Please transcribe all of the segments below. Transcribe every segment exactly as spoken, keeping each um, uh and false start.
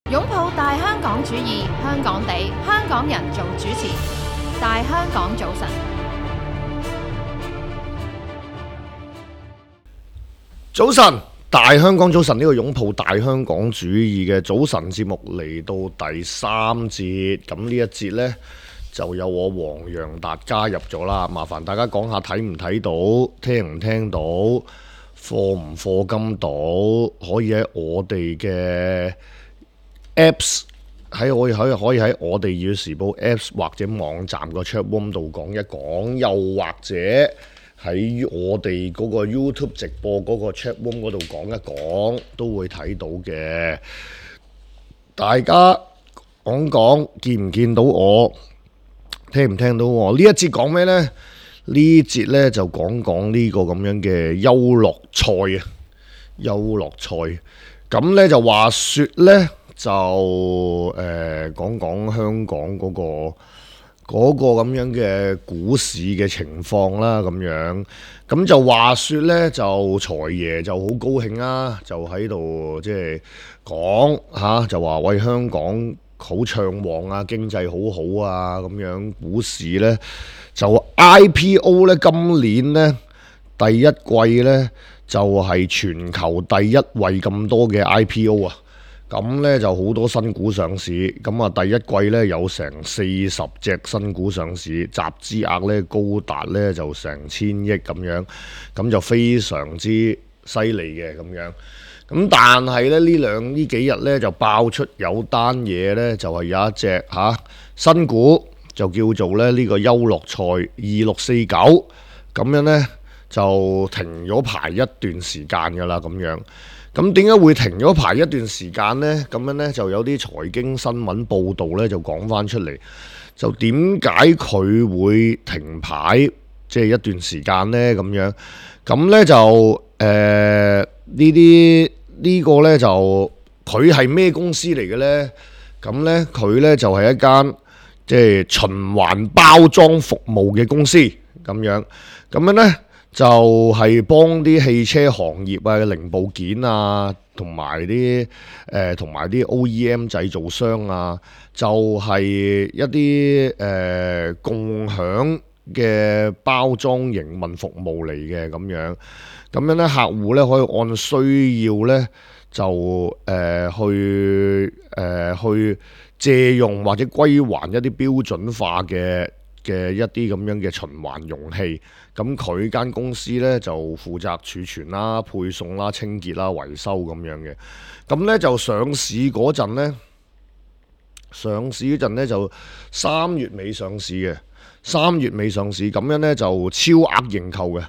擁抱大香港主義，香港地，香港人做主持。大香港早晨，早晨，大香港早晨，呢個擁抱大香港主義嘅早晨節目嚟到第三節，咁呢一節呢，就有我黃洋達加入咗啦，麻煩大家講下睇唔睇到，聽唔聽到，課唔課金到，可以喺我哋嘅 Apps 喺我可以可以喺我哋粵語時報 Apps 或者網站個 chat room 度講一講，又或者喺我哋嗰個 YouTube 直播嗰個 chat room 嗰度講一講，都會睇到嘅。大家講講，見唔見到我？聽唔聽到我？呢一節講咩呢？呢節呢就講講呢個咁樣嘅優樂菜啊，優樂菜。咁呢就話說呢。就誒、呃、講講香港嗰、嗰個嗰、嗰個咁樣嘅股市嘅情況啦，咁樣咁就話說呢，就財爺就好高興啦，就喺度即係講嚇，就話喂，香港好暢旺啊，經濟好好啊，咁樣股市呢，就 I P O 呢，今年呢，第一季呢，就係、是、全球第一位咁多嘅 I P O 啊！咁呢就好多新股上市，咁啊第一季呢有成四十隻新股上市，集資額呢高達呢就成千億咁樣，咁就非常之犀利嘅咁樣。咁但係呢呢兩呢幾日呢就爆出有單嘢呢，就係、是、有一隻嚇、啊、新股就叫做咧呢、這個優樂菜二六四九，咁樣呢就停咗牌一段時間㗎啦咁樣。咁點解會停咗排一段時間呢？咁樣呢，就有啲財經新聞報導呢，就講翻出嚟，就點解佢會停牌即係一段時間呢？咁樣咁呢，就誒呢啲呢個呢，就佢係咩公司嚟嘅呢？咁呢，佢呢，就係一間即係循環包裝服務嘅公司咁樣咁樣呢。就係幫啲汽車行業啊、零部件啊，同埋啲誒同埋啲 O E M 製造商啊，就係、是、一啲誒、呃、共享嘅包裝營運服務嚟嘅咁樣。咁樣咧，客戶咧可以按需要咧就誒、呃、去誒、呃、去借用或者歸還一啲標準化嘅嘅一啲咁樣嘅循環容器。咁佢間公司呢，就負責儲存啦、配送啦、清潔啦、維修咁樣嘅。咁呢，就上市嗰陣呢，上市嗰陣呢就三月尾上市嘅，三月尾上市咁樣呢，就超額認購嘅，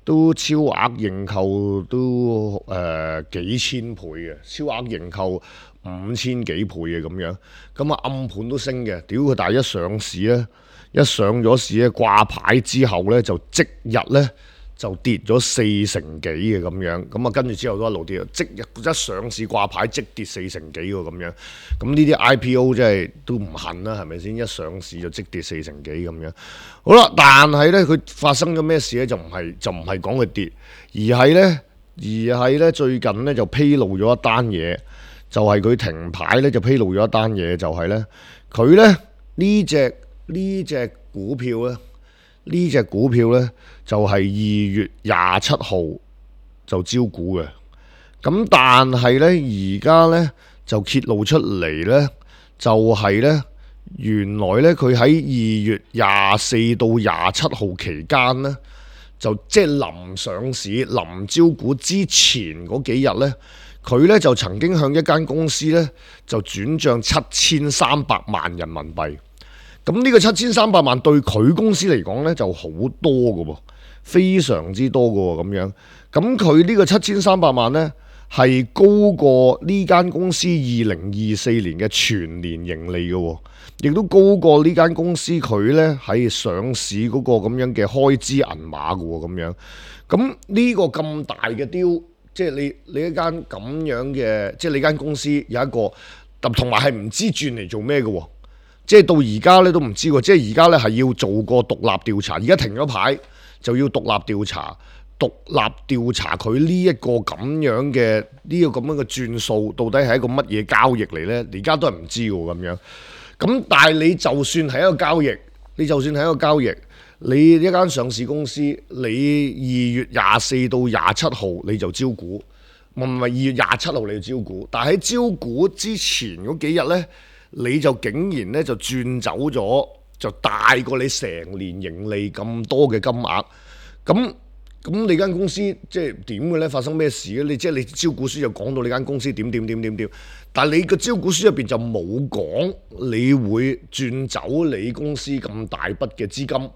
都超額認購都誒、呃、幾千倍嘅，超額認購五千幾倍嘅咁樣。咁啊暗盤都升嘅，屌佢！但係一上市呢。一上咗市咧，掛牌之後咧，就即日咧就跌咗四成幾嘅咁樣，咁啊跟住之後都一路跌，即日一上市掛牌即跌四成幾喎咁樣，咁呢啲 I P O 真係都唔恨啦，係咪先？一上市就即跌四成幾咁樣。好啦，但係咧佢發生咗咩事咧？就唔係就唔係講佢跌，而係咧而係咧最近咧就披露咗一單嘢，就係、是、佢停牌咧就披露咗一單嘢，就係咧佢咧呢隻。呢隻股票呢，呢隻股票呢，就係二月廿七號就招股嘅。咁但係呢，而家呢，就揭露出嚟呢，就係呢，原來呢，佢喺二月廿四到廿七號期間呢，就即係臨上市、臨招股之前嗰幾日呢，佢呢，就曾經向一間公司呢，就轉賬七千三百萬人民幣。咁呢個七千三百萬對佢公司嚟講呢就好多㗎喎，非常之多㗎喎咁樣。咁佢呢個七千三百萬呢係高過呢間公司二零二四年嘅全年盈利㗎喎，亦都高過呢間公司佢呢喺上市嗰個咁樣嘅開支銀碼㗎喎咁樣。咁呢個咁大嘅雕，即係你你一間咁樣嘅，即係你間公司有一個，同埋係唔知轉嚟做咩㗎喎。即係到而家咧都唔知喎，即係而家咧係要做個獨立調查，而家停咗牌就要獨立調查，獨立調查佢呢一個咁樣嘅呢、這個咁樣嘅轉數，到底係一個乜嘢交易嚟呢？而家都係唔知喎咁樣。咁但係你就算係一個交易，你就算係一個交易，你一間上市公司，你二月廿四到廿七號你就招股，唔係二月廿七號你就招股，但係喺招股之前嗰幾日呢，你就竟然呢就轉走咗，就大過你成年盈利咁多嘅金額，咁。咁你間公司即係點嘅咧？發生咩事咧？你即係你招股書就講到你間公司點點點點點，但係你個招股書入邊就冇講你會轉走你公司咁大筆嘅資金。咁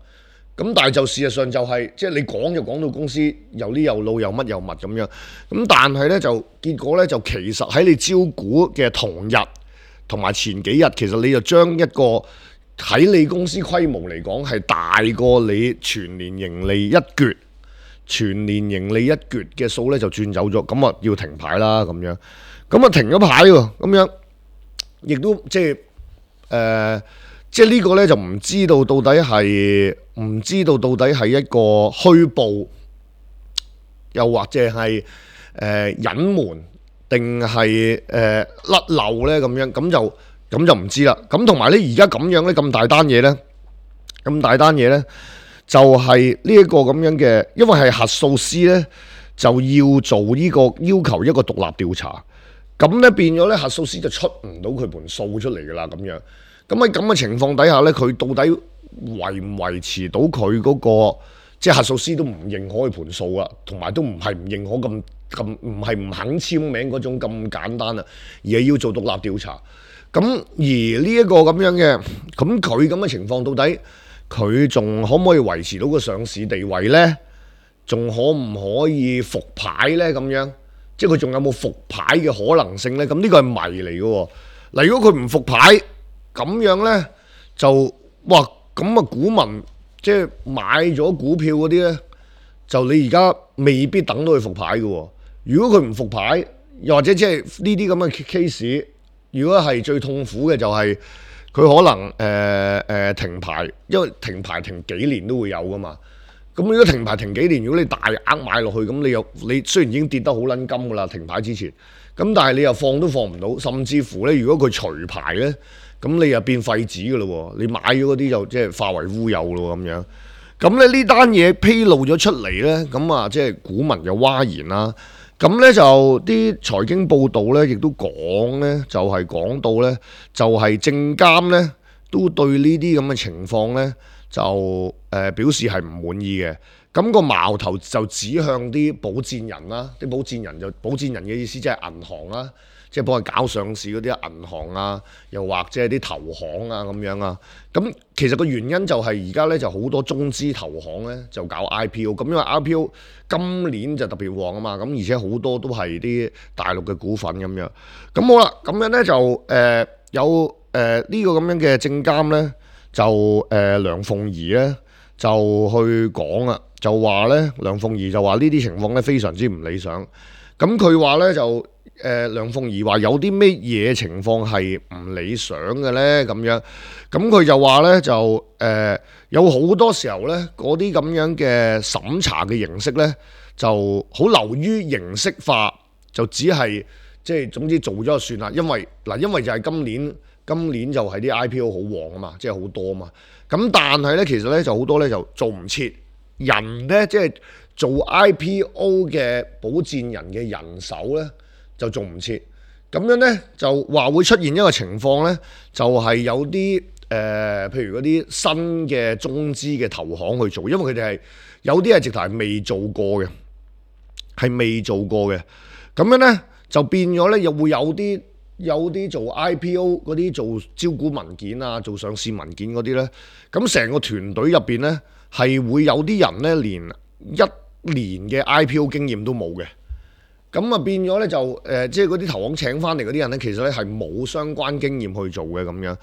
但係就事實上就係、是、即係你講就講到公司又呢又路又乜又物咁樣。咁但係咧就結果咧就其實喺你招股嘅同日同埋前幾日，其實你就將一個喺你公司規模嚟講係大過你全年盈利一橛。全年盈利一橛嘅數咧就轉走咗，咁啊要停牌啦咁樣，咁啊停咗牌喎，咁樣亦都即係誒、呃，即係呢個咧就唔知道到底係唔知道到底係一個虛報，又或者係誒隱瞞定係誒甩漏咧咁樣，咁就咁就唔知啦。咁同埋咧而家咁樣咧咁大單嘢咧，咁大單嘢咧。就係呢一個咁樣嘅，因為係核數師呢，就要做呢個要求一個獨立調查，咁呢變咗呢，核數師就出唔到佢盤數出嚟噶啦咁樣。咁喺咁嘅情況底下呢，佢到底維唔維持到佢嗰個，即係核數師都唔認可佢盤數啦，同埋都唔係唔認可咁咁，唔係唔肯簽名嗰種咁簡單啦，而係要做獨立調查。咁而呢一個咁樣嘅，咁佢咁嘅情況到底？佢仲可唔可以維持到個上市地位呢？仲可唔可以復牌呢？咁樣，即係佢仲有冇復牌嘅可能性呢？咁呢個係謎嚟嘅喎。嗱，如果佢唔復牌，咁樣呢，就哇咁啊，股民即係買咗股票嗰啲呢，就你而家未必等到佢復牌嘅喎。如果佢唔復牌，又或者即係呢啲咁嘅 case， 如果係最痛苦嘅就係、是。佢可能誒誒、呃呃、停牌，因為停牌停幾年都會有噶嘛。咁如果停牌停幾年，如果你大額買落去，咁你又你雖然已經跌得好撚金噶啦，停牌之前，咁但係你又放都放唔到，甚至乎咧，如果佢除牌咧，咁你又變廢紙噶咯喎，你買咗嗰啲就即係化為烏有咯咁樣。咁咧呢單嘢披露咗出嚟咧，咁啊即係股民又嘩然啦。咁咧就啲財經報道咧，亦都講咧，就係、是、講到咧，就係證監咧都對呢啲咁嘅情況咧，就誒、呃、表示係唔滿意嘅。咁、那個矛頭就指向啲保薦人啦，啲保薦人就保薦人嘅意思即係銀行啦，即係幫佢搞上市嗰啲銀行啊，又或者係啲投行啊咁樣啊。咁其實個原因就係而家咧就好多中資投行咧就搞 I P O， 咁因為 I P O 今年就特別旺啊嘛，咁而且好多都係啲大陸嘅股份咁樣。咁好啦，咁樣咧就誒、呃、有誒呢、呃這個咁樣嘅證監咧，就誒、呃、梁鳳儀咧就去講啊，就話咧梁鳳儀就話呢啲情況咧非常之唔理想。咁佢話咧就誒、呃、梁鳳儀話有啲咩嘢情況係唔理想嘅咧咁樣。咁佢就話咧就誒、呃、有好多時候咧嗰啲咁樣嘅審查嘅形式咧就好流於形式化，就只係即係總之做咗就算啦。因為嗱，因為就係今年今年就係啲 I P O 好旺啊嘛，即係好多啊嘛。咁但係咧其實咧就好多咧就做唔切，人咧即係做 I P O 嘅保薦人嘅人手咧就做唔切。咁樣咧就話會出現一個情況咧，就係、是、有啲誒、呃，譬如嗰啲新嘅中資嘅投行去做，因為佢哋係有啲係直頭係未做過嘅，係未做過嘅。咁樣咧就變咗咧，又會有啲有啲做 I P O 嗰啲做招股文件啊，做上市文件嗰啲咧，咁成個團隊入邊咧係會有啲人咧連一年嘅 I P O 經驗都冇嘅。咁啊變咗咧就誒、呃，即係嗰啲投行請翻嚟嗰啲人咧，其實咧係冇相關經驗去做嘅咁樣。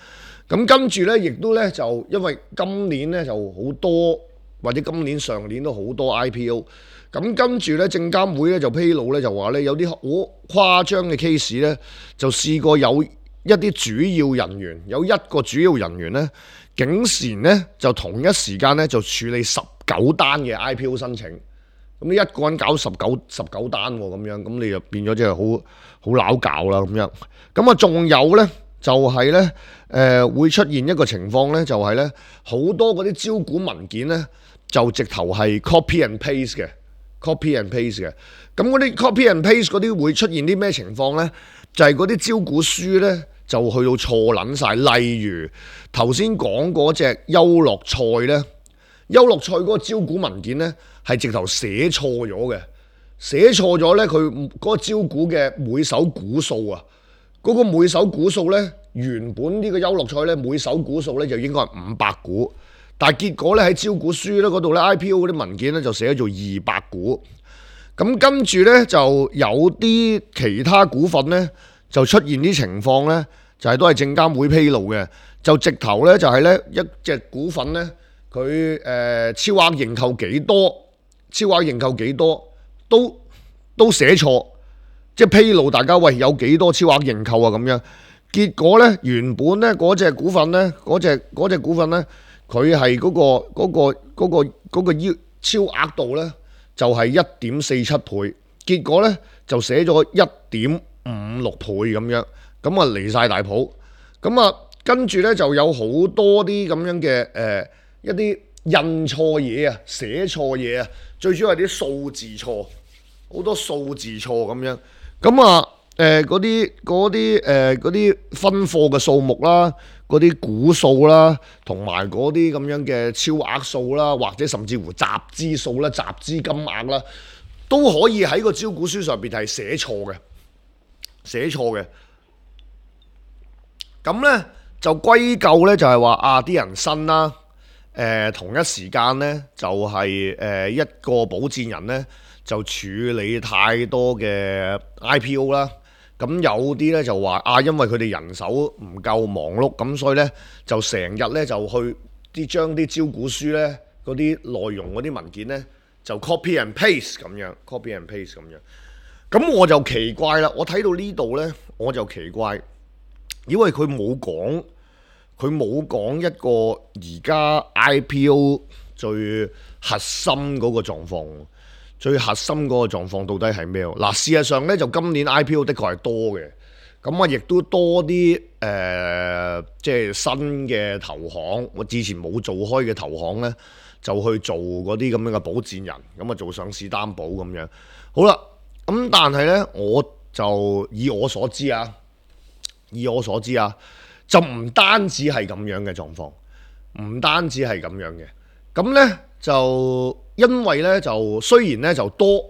咁跟住咧，亦都咧就因為今年咧就好多，或者今年上年都好多 I P O。咁跟住咧，證監會咧就披露咧就話咧有啲好誇張嘅 case 咧，就試過有一啲主要人員，有一個主要人員咧，竟然咧就同一時間咧就處理十九單嘅 I P O 申請。咁你一個人搞十九十九單喎，咁樣咁你就變咗即係好好撈搞啦咁樣。咁啊，仲有呢，就係呢，誒會出現一個情況呢，就係呢，好多嗰啲招股文件呢，就直頭係 copy and paste 嘅，copy and paste 嘅。咁嗰啲 copy and paste 嗰啲會出現啲咩情況呢？就係嗰啲招股書呢，就去到錯撚晒。例如頭先講嗰隻優樂菜呢，優樂菜嗰個招股文件呢，係直頭寫錯咗嘅，寫錯咗呢，佢嗰個招股嘅每手股數啊，嗰、嗰個每手股數呢，原本呢個優樂菜呢，每手股數呢就應該係五百股，但係結果呢，喺招股書呢嗰度呢 I P O 嗰啲文件呢，就寫咗做二百股。咁跟住呢，就有啲其他股份呢，就出現啲情況呢，就係、是、都係證監會披露嘅，就直頭呢，就係、是、呢一隻股份呢，佢誒、呃、超額認購幾多，超額認購幾多都都寫錯，即係披露大家喂有幾多超額認購啊咁樣。結果呢，原本呢嗰隻股份呢，嗰隻嗰隻股份呢，佢係嗰個嗰、嗰個嗰、嗰個嗰個要超額度呢，就係一點四七倍，結果呢就寫咗一點五六倍咁樣，咁啊離晒大譜，咁啊跟住呢就有好多啲咁樣嘅誒、呃、一啲印錯嘢啊，寫錯嘢啊，最主要係啲數字錯，好多數字錯咁樣，咁啊誒嗰啲嗰啲誒嗰啲分貨嘅數目啦，嗰啲股數啦，同埋嗰啲咁樣嘅超額數啦，或者甚至乎集資數啦、集資金額啦，都可以喺個招股書上邊係寫錯嘅，寫錯嘅。咁呢，就歸咎呢，就係話啊啲人新啦，誒、呃、同一時間呢，就係、是、誒、呃、一個保薦人呢，就處理太多嘅 I P O 啦。咁有啲咧就話啊，因為佢哋人手唔夠忙碌，咁所以咧就成日咧就去啲將啲招股書咧嗰啲內容嗰啲文件咧就 copy and paste 咁樣 ，copy and paste 咁樣。咁我就奇怪啦，我睇到呢度咧我就奇怪，因為佢冇講，佢冇講一個而家 I P O 最核心嗰個狀況。最核心嗰個狀況到底係咩？嗱，事實上咧就今年 I P O 的確係多嘅，咁啊亦都多啲誒、呃，即係新嘅投行，我之前冇做開嘅投行咧，就去做嗰啲咁樣嘅保薦人，咁啊做上市擔保咁樣。好啦，咁但係咧，我就以我所知啊，以我所知啊，就唔單止係咁樣嘅狀況，唔單止係咁樣嘅，咁咧就。因為咧就雖然咧就多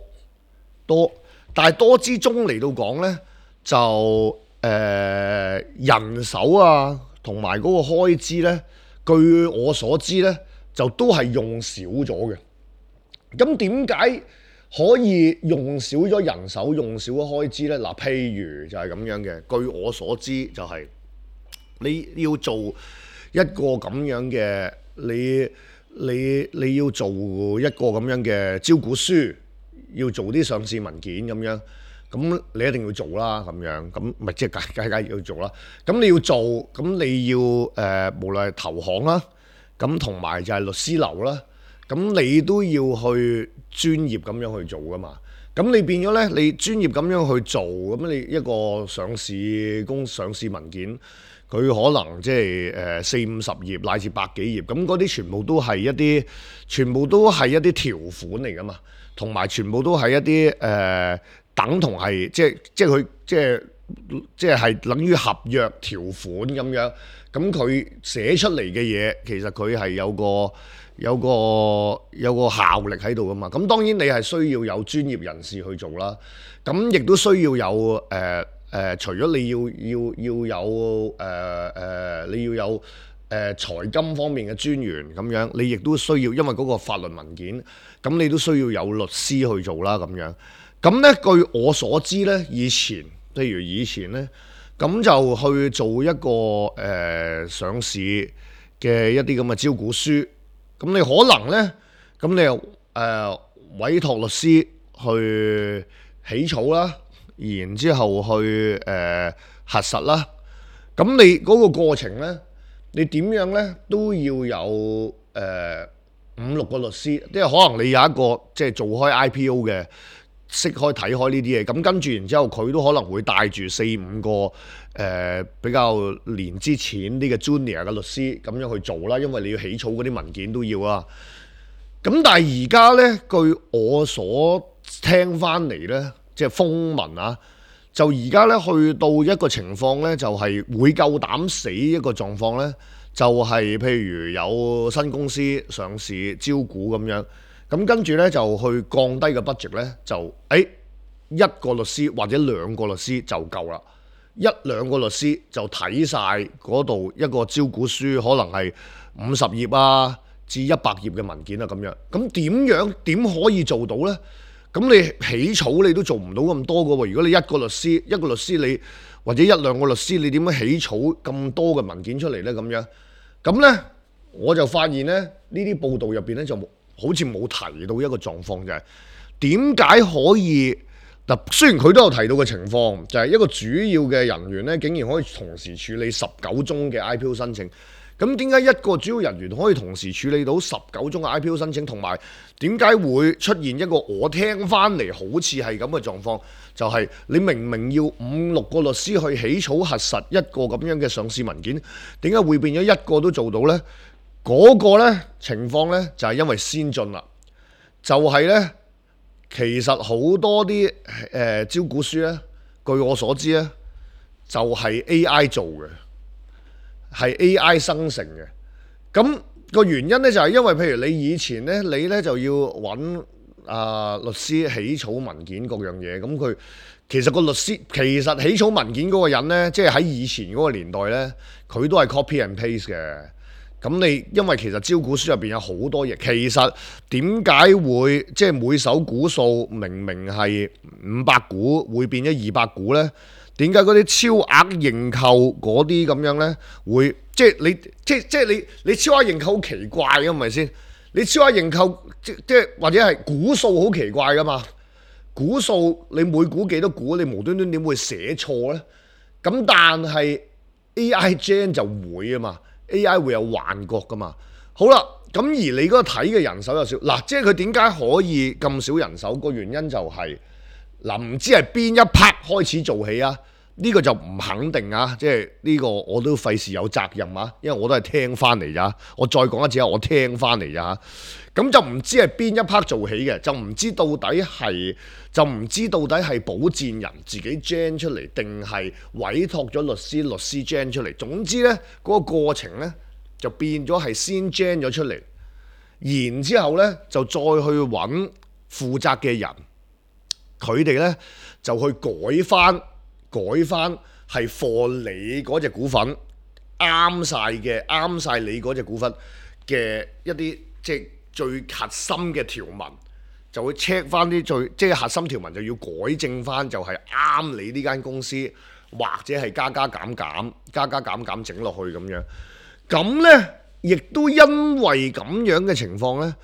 多，但係多之中嚟到講咧就誒、呃、人手啊同埋嗰個開支咧，據我所知咧就都係用少咗嘅。咁點解可以用少咗人手、用少咗開支咧？嗱，譬如就係咁樣嘅。據我所知就係、是、你要做一個咁樣嘅你。你你要做一個咁樣嘅招股書，要做啲上市文件咁樣，咁你一定要做啦，咁樣咁咪即係梗梗要做啦。咁你要做，咁你要誒、呃，無論係投行啦，咁同埋就係律師樓啦，咁你都要去專業咁樣去做噶嘛。咁你變咗咧，你專業咁樣去做，咁你一個上市公上市文件。佢可能即係誒四五十頁乃至百幾頁，咁嗰啲全部都係一啲，全部都係一啲條款嚟噶嘛，同埋全部都係一啲誒、呃、等同係即係即係佢即係即係係等於合約條款咁樣，咁佢寫出嚟嘅嘢其實佢係有個有個有個效力喺度噶嘛，咁當然你係需要有專業人士去做啦，咁亦都需要有誒。呃誒、呃，除咗你要要要有誒誒、呃呃，你要有誒、呃、財金方面嘅專員咁樣，你亦都需要，因為嗰個法律文件，咁你都需要有律師去做啦咁樣。咁咧，據我所知咧，以前譬如以前咧，咁就去做一個誒、呃、上市嘅一啲咁嘅招股書，咁你可能咧，咁你又誒、呃、委託律師去起草啦。然之後去誒、呃、核實啦，咁你嗰個過程呢，你點樣呢？都要有誒五六個律師，即係可能你有一個即係做開 I P O 嘅，識開睇開呢啲嘢，咁跟住然之後佢都可能會帶住四五個誒、呃、比較年資淺啲嘅 junior 嘅律師咁樣去做啦，因為你要起草嗰啲文件都要啊。咁但係而家呢，據我所聽翻嚟呢，即係風聞啊，就而家呢去到一個情況呢，就係、是、會夠膽死一個狀況呢。就係譬如有新公司上市招股咁樣，咁跟住呢就去降低個 budget 呢，就誒、欸、一個律師或者兩個律師就夠啦，一兩個律師就睇晒嗰度一個招股書，可能係五十頁啊至一百頁嘅文件啊咁樣，咁點樣點可以做到呢？咁你起草你都做唔到咁多㗎喎，如果你一個律師一個律師你或者一兩個律師，你點樣起草咁多嘅文件出嚟呢？咁樣咁呢，我就發現呢，呢啲報道入邊呢，就好似冇提到一個狀況，就係點解可以嗱？雖然佢都有提到嘅情況，就係一個主要嘅人員呢，竟然可以同時處理十九宗嘅 I P O 申請。咁點解一個主要人員可以同時處理到十九宗嘅 I P O 申請，同埋點解會出現一個我聽翻嚟好似係咁嘅狀況？就係你明明要五六個律師去起草核實一個咁樣嘅上市文件，點解會變咗一個都做到呢？嗰個呢情況呢，就係因為先進啦，就係呢，其實好多啲誒招股書呢，據我所知呢，就係 A I 做嘅。係 A I 生成嘅，咁個原因呢，就係因為譬如你以前呢，你呢就要揾啊律師起草文件各樣嘢，咁佢其實個律師其實起草文件嗰個人呢，即係喺以前嗰個年代呢，佢都係 copy and paste 嘅。咁你因為其實招股書入邊有好多嘢，其實點解會即係每手股數明明係五百股會變咗二百股呢？點解嗰啲超額認購嗰啲咁樣呢？會即係你即即係你你超額認購好奇怪嘅，係咪先？你超額認購即即係或者係股數好奇怪噶嘛？股數你每股幾多股，你無端端點會寫錯呢？咁但係 A I gen 就會啊嘛 ，A I 會有幻覺噶嘛。好啦，咁而你嗰個睇嘅人手又少，嗱，即係佢點解可以咁少人手？個原因就係、是。嗱，唔知係邊一 part 開始做起啊？呢、這個就唔肯定啊！即係呢個我都費事有責任啊，因為我都係聽翻嚟咋。我再講一次啊，我聽翻嚟咋。咁就唔知係邊一 part 做起嘅，就唔知到底係就唔知到底係保薦人自己 gen 出嚟，定係委託咗律師律師 gen 出嚟。總之呢，嗰、那個過程呢，就變咗係先 gen 咗出嚟，然之後呢，就再去揾負責嘅人。佢哋呢就去改翻，改翻係 for 你嗰隻股份啱晒嘅，啱晒你嗰隻股份嘅一啲即係最核心嘅條文，就會 check 翻啲最即係核心條文就要改正翻，就係啱你呢間公司，或者係加加減減、加加減減整落去咁樣。咁呢，亦都因為咁樣嘅情況呢，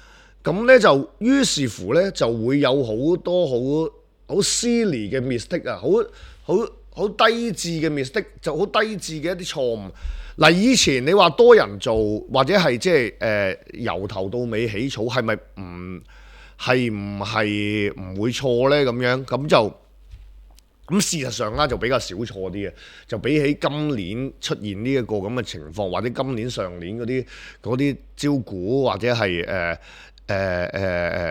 咁呢就於是乎呢，就會有好多好好 silly 嘅 mistake 啊，好好好低智嘅 mistake，就好低智嘅一啲錯誤。嗱，以前你話多人做或者係即係誒由頭到尾起草，係咪唔係唔係唔會錯呢？咁樣咁就咁事實上啦，就比較少錯啲嘅，就比起今年出現呢一個咁嘅情況，或者今年上年嗰啲嗰啲招股或者係誒誒誒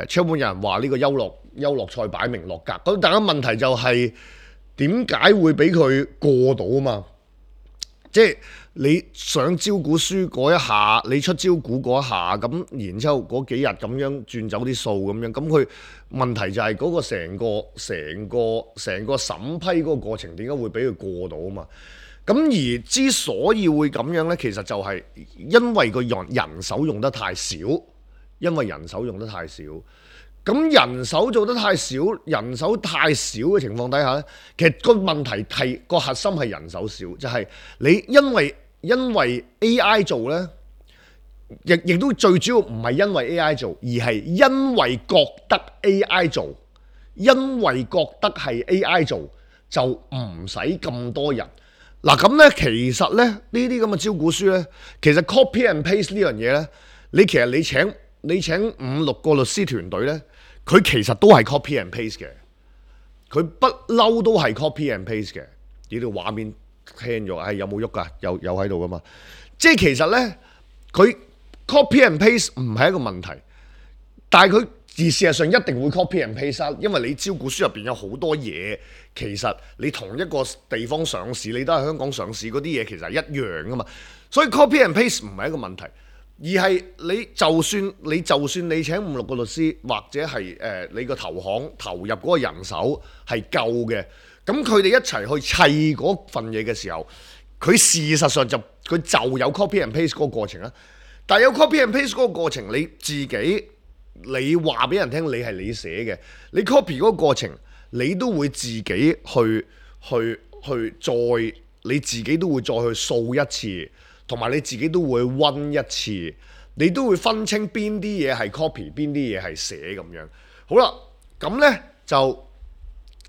誒，出門有人話呢個優樂。優樂賽擺明落格，咁但係問題就係點解會俾佢過到啊嘛？即係你上招股書嗰一下，你出招股嗰一下，咁然之後嗰幾日咁樣轉走啲數咁樣，咁佢問題就係嗰個成個成個成個審批嗰個過程點解會俾佢過到啊嘛？咁而之所以會咁樣呢，其實就係因為個人人手用得太少，因為人手用得太少。咁人手做得太少，人手太少嘅情況底下咧，其實個問題係個核心係人手少，就係、是、你因為因為 A I 做咧，亦亦都最主要唔係因為 A I 做，而係因為覺得 A I 做，因為覺得係 A I 做就唔使咁多人。嗱咁咧，其實咧呢啲咁嘅招股書咧，其實 copy and paste 呢樣嘢咧，你其實你請。你請五六個律師團隊呢，佢其實都係 copy and paste 嘅，佢不嬲都係 copy and paste 嘅。呢條畫面聽咗，係有冇喐㗎？有有喺度㗎嘛？即係其實呢，佢 copy and paste 唔係一個問題，但係佢而事實上一定會 copy and paste，因為你招股書入邊有好多嘢，其實你同一個地方上市，你都係香港上市嗰啲嘢，其實係一樣㗎嘛。所以 copy and paste 唔係一個問題。而係你就算你就算你請五六個律師，或者係誒、呃、你個投行投入嗰個人手係夠嘅，咁佢哋一齊去砌嗰份嘢嘅時候，佢事實上就佢就有 copy and paste 嗰個過程啦。但係有 copy and paste 嗰個過程，你自己你話俾人聽你係你寫嘅，你 copy 嗰個過程，你都會自己去去去再你自己都會再去掃一次。同埋你自己都會溫一次，你都會分清邊啲嘢係 copy， 邊啲嘢係寫咁樣。好啦，咁呢就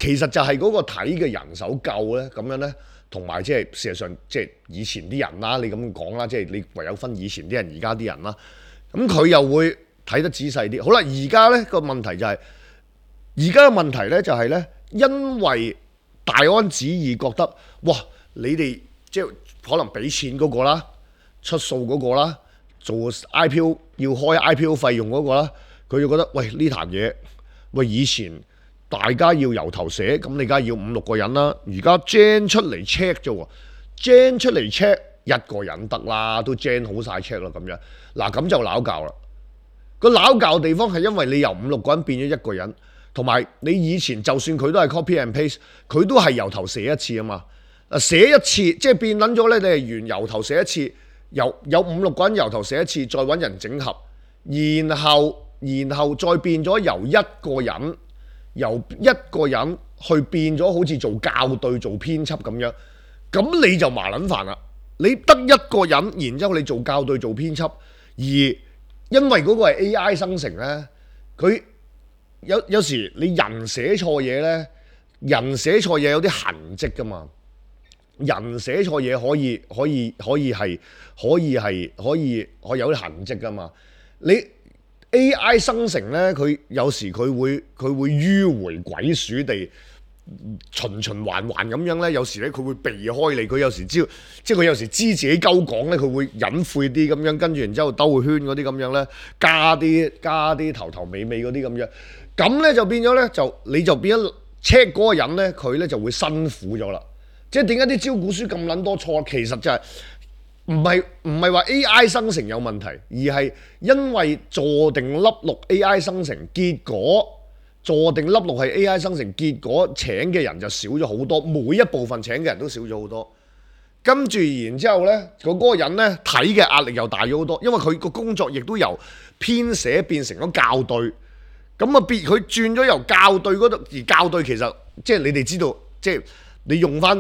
其實就係嗰個睇嘅人手夠呢，咁樣呢，同埋即係事實上即係以前啲人啦，你咁講啦，即係你唯有分以前啲人、而家啲人啦。咁佢又會睇得仔細啲。好啦，而家呢個問題就係，而家嘅問題呢就係呢，因為大安旨意覺得，哇，你哋即係。可能俾錢嗰個啦，出數嗰個啦，做 I P O 要開 I P O 費用嗰個啦，佢就覺得喂呢壇嘢，喂以前大家要由頭寫，咁你梗係要五六個人啦，而家 gen 出嚟 check 啫喎 ，gen 出嚟 check 一個人得啦，都 gen 好晒 check 啦咁樣，嗱咁就鬧交啦。個鬧交地方係因為你由五六個人變咗一個人，同埋你以前就算佢都係 copy and paste，佢都係由頭寫一次啊嘛。啊！寫一次即係變撚咗咧，你係原由頭寫一次，由有五六個人由頭寫一次，再揾人整合，然後然後再變咗由一個人由一個人去變咗好似做校對做編輯咁樣，咁你就麻撚煩啦。你得一個人，然之後你做校對做編輯，而因為嗰個係 A I 生成咧，佢有有時你人寫錯嘢咧，人寫錯嘢有啲痕跡噶嘛。人寫錯嘢可以可以可以係可以係可以可以有啲痕跡噶嘛？你 A I 生成咧，佢有時佢會佢會迂迴鬼鼠地循循環環咁樣咧，有時咧佢會避開你，佢有時知即係佢有時知自己鳩講咧，佢會隱晦啲咁樣，跟住然之後兜個圈嗰啲咁樣咧，加啲加啲頭頭尾尾嗰啲咁樣，咁咧就變咗咧就你就變咗 check 嗰個人咧，佢咧就會辛苦咗啦。即係點解啲招股書咁撚多錯？其實就係唔係唔係話 A I 生成有問題，而係因為坐定粒六 A I 生成，結果坐定粒六係 A I 生成，結果請嘅人就少咗好多，每一部分請嘅人都少咗好多。跟住然之後呢，嗰、嗰個人呢睇嘅壓力又大咗好多，因為佢個工作亦都由編寫變成咗校對，咁啊變佢轉咗由校對嗰度，而校對其實即係你哋知道即係。你用翻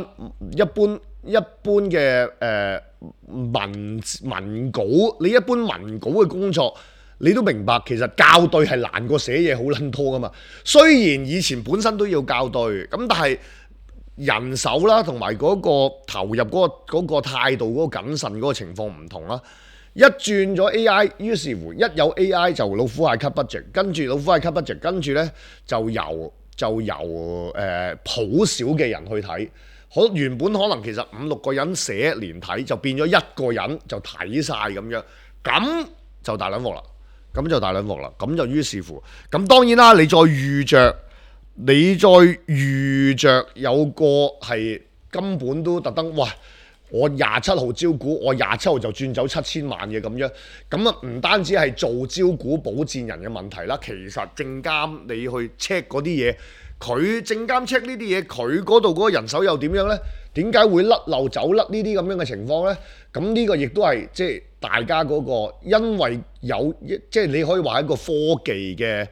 一般一般嘅誒、呃、文文稿，你一般文稿嘅工作，你都明白其實校對係難過寫嘢好撚多噶嘛。雖然以前本身都要校對，咁但係人手啦，同埋嗰個投入嗰、嗰個嗰、嗰個態度嗰、嗰個謹慎嗰個情況唔同啦。一轉咗 A I， 於是乎一有 A I 就老虎蟹 cut budget， 跟住老虎蟹 cut budget， 跟住呢就由。就由誒好少嘅人去睇，可原本可能其實五六個人寫連睇，就變咗一個人就睇晒咁樣，咁就大撚鑊啦，咁就大撚鑊啦，咁就於是乎，咁當然啦，你再遇着，你再遇着有個係根本都特登，哇！我廿七號招股，我廿七號就轉走七千萬嘅咁樣，咁啊唔單止係做招股保薦人嘅問題啦，其實證監你去 check 嗰啲嘢，佢證監 check 呢啲嘢，佢嗰度嗰個人手又點樣呢？點解會甩漏走甩呢啲咁樣嘅情況呢？咁呢個亦都係即係大家嗰個，因為有即係你可以話一個科技嘅。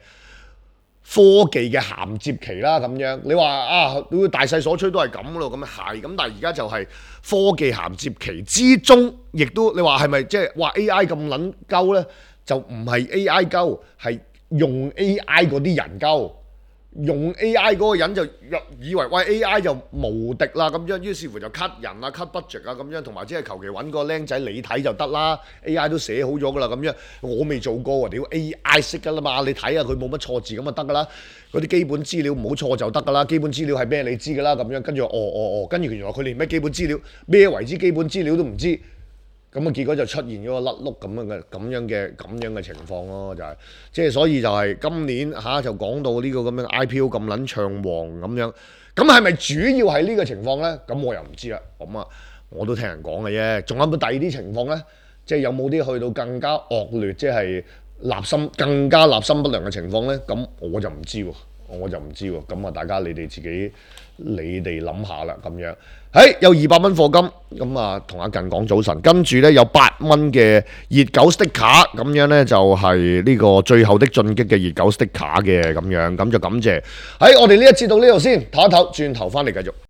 科技嘅銜接期啦，咁樣你話啊，大勢所趨都係咁咯，咁係咁，但係而家就係科技銜接期之中，亦都你話係咪即係話 A I 咁撚鳩呢？就唔係 A I 鳩，係用 A I 嗰啲人鳩，用 A I 嗰個人就以為喂 A I 就無敵啦咁樣，於是乎就 cut 人啊 cut budget 啊咁樣，同埋只係求其揾個僆仔你睇就得啦 ，A I 都寫好咗噶啦咁樣，我未做過喎，屌 A I 識噶啦嘛，你睇下佢冇乜錯字咁就得噶啦，嗰啲基本資料唔好錯就得噶啦，基本資料係咩你知噶啦咁樣，跟住哦哦哦，跟住原來佢連咩基本資料咩為之基本資料都唔知。咁啊，結果就出現咗個甩碌咁樣嘅咁樣嘅咁樣嘅情況咯，就係即係所以就係今年嚇、啊、就講到呢個咁樣 I P O 咁撚暢旺咁樣，咁係咪主要係呢個情況呢？咁我又唔知啦。咁啊，我都聽人講嘅啫。仲有冇第二啲情況呢？即係有冇啲去到更加惡劣，即係立心更加立心不良嘅情況呢？咁我就唔知喎，我就唔知喎。咁啊，大家你哋自己你哋諗下啦，咁樣。誒有二百蚊課金，咁啊同阿近講早晨，跟住呢有八蚊嘅熱狗 sticker，咁樣呢就係呢個最後的進擊嘅熱狗 sticker 嘅咁樣，咁就感謝。喺我哋呢一節到呢度先，唞一唞，轉頭翻嚟繼續。